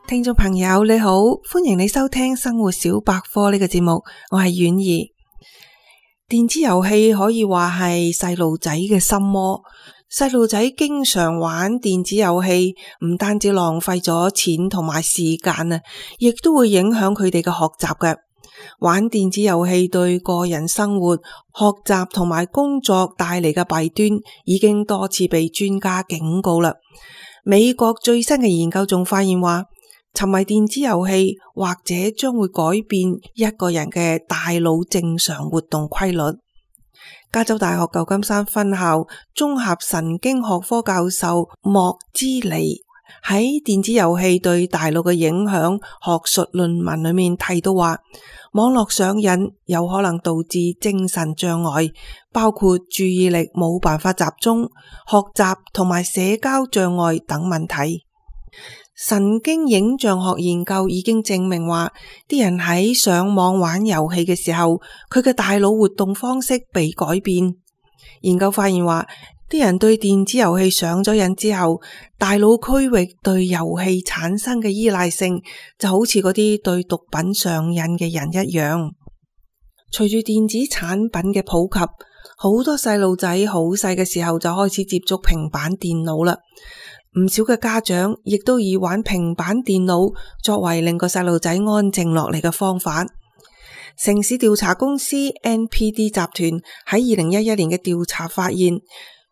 聽眾朋友你好，歡迎你收聽生活小百科呢個節目，我係婉兒。電子遊戲可以話係細路仔嘅心魔，細路仔經常玩電子遊戲，唔單止浪費咗錢同埋時間啊，亦都會影響佢哋嘅學習嘅。玩電子遊戲對個人生活、學習同埋工作帶嚟嘅弊端，已經多次被專家警告啦。美國最新嘅研究仲發現話，沉迷電子遊戲或者將會改變一個人嘅大腦正常活動規律。加州大學舊金山分校綜合神經學科教授莫茲尼喺電子遊戲對大腦嘅影響學術論文裏面提到話，網絡上癮有可能導致精神障礙，包括注意力冇辦法集中、學習同埋社交障礙等問題。神經影像學研究已經證明話，啲人喺上網玩遊戲嘅時候，佢嘅大腦活動方式被改變。研究發現話，啲人對電子遊戲上咗癮之後，大腦區域對遊戲產生嘅依賴性就好似嗰啲對毒品上癮嘅人一樣。隨住電子產品嘅普及，好多細路仔好細嘅時候就開始接觸平板電腦啦。唔少嘅家長亦都以玩平板電腦作為令個細路仔安靜落嚟嘅方法。城市調查公司 NPD 集團喺2011年嘅調查發現，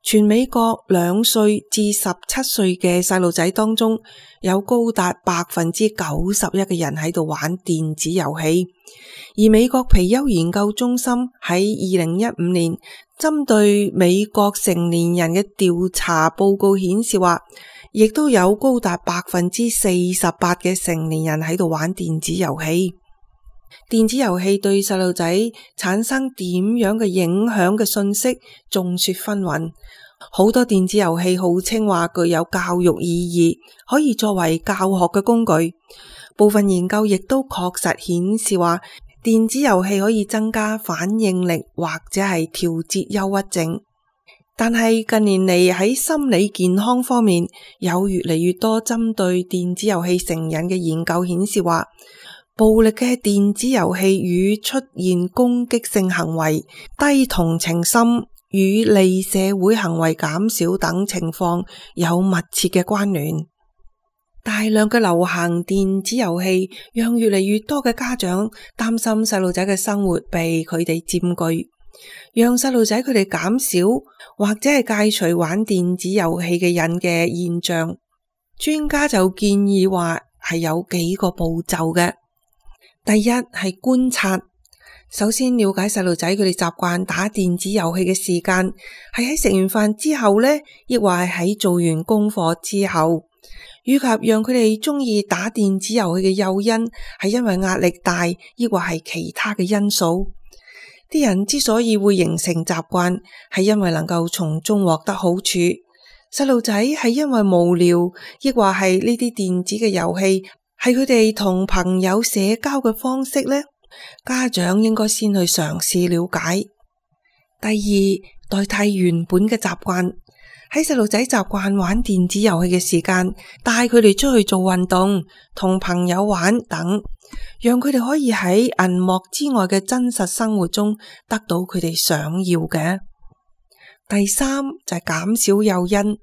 全美國2歲至17歲嘅細路仔當中，有高達91%嘅人喺度玩電子遊戲。而美國皮尤研究中心喺2015年針對美國成年人嘅調查報告顯示話，亦都有高達48%嘅成年人喺度玩電子遊戲。電子遊戲對細路仔產生點樣嘅影響嘅信息眾說紛紜，好多電子遊戲號稱話具有教育意義，可以作為教學嘅工具。部分研究亦都確實顯示話，電子遊戲可以增加反應力或者係調節憂鬱症。但係近年嚟喺心理健康方面，有越嚟越多針對電子遊戲成癮嘅研究顯示話，暴力嘅電子遊戲與出現攻擊性行為、低同情心與利社會行為減少等情況有密切嘅關聯。大量嘅流行電子遊戲讓越嚟越多嘅家長擔心細路仔嘅生活被佢哋佔據，讓細路仔佢哋減少或者係戒除玩電子遊戲嘅癮嘅現象。專家就建議話係有幾個步驟嘅。第一係觀察，首先了解細路仔佢哋習慣打電子遊戲嘅時間，係喺食完飯之後呢，抑或係喺做完功課之後，以及讓佢哋中意打電子遊戲嘅誘因係因為壓力大，抑或係其他嘅因素。啲人之所以會形成習慣，係因為能夠從中獲得好處。細路仔係因為無聊，抑或係呢啲電子嘅遊戲係佢哋同朋友社交嘅方式呢？家長應該先去嘗試了解。第二，代替原本嘅習慣。喺細路仔習慣玩電子遊戲嘅時間，帶佢哋出去做運動，同朋友玩等，讓佢哋可以喺銀幕之外嘅真實生活中得到佢哋想要嘅。第三，就係減少誘因，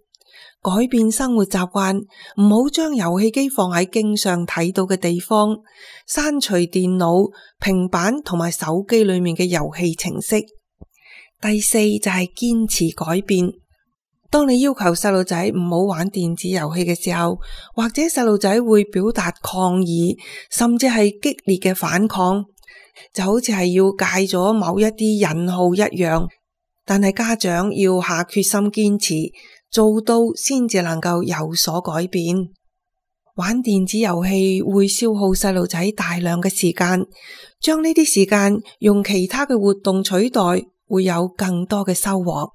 改變生活習慣，唔好將遊戲機放喺經常睇到嘅地方，刪除電腦、平板同埋手機裏面嘅遊戲程式。第四，就係堅持改變。當你要求細路仔唔好玩電子遊戲嘅時候，或者細路仔會表達抗議，甚至係激烈嘅反抗，就好似係要戒咗某一啲癮號一樣。但係家長要下決心堅持，做到先至能夠有所改變。玩電子遊戲會消耗細路仔大量嘅時間，將呢啲時間用其他嘅活動取代，會有更多嘅收穫。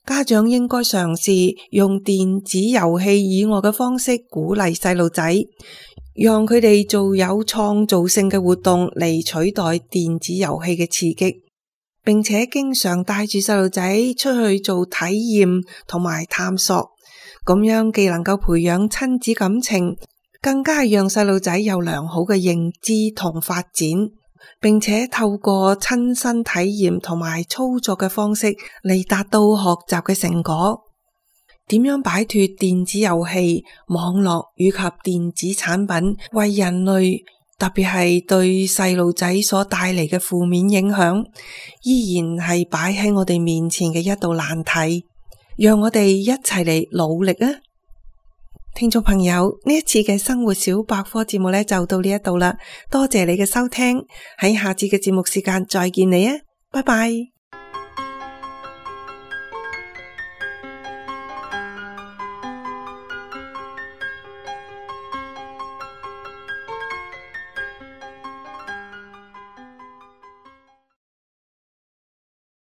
家長應該嘗試用電子遊戲以外嘅方式鼓勵細路仔，讓佢哋做有創造性嘅活動嚟取代電子遊戲嘅刺激，並且經常帶住細路仔出去做體驗同埋探索，咁樣既能夠培養親子感情，更加係讓細路仔有良好嘅認知同發展，並且透過親身體驗同埋操作嘅方式嚟達到學習嘅成果。點樣擺脫電子遊戲、網絡以及電子產品為人類，特別係對細路仔所帶嚟嘅負面影響，依然係擺喺我哋面前嘅一道難題。讓我哋一齊嚟努力啊！聽眾朋友，呢一次嘅生活小百科節目呢就到呢一度啦，多謝你嘅收聽，喺下次嘅節目時間再見你啊，拜拜。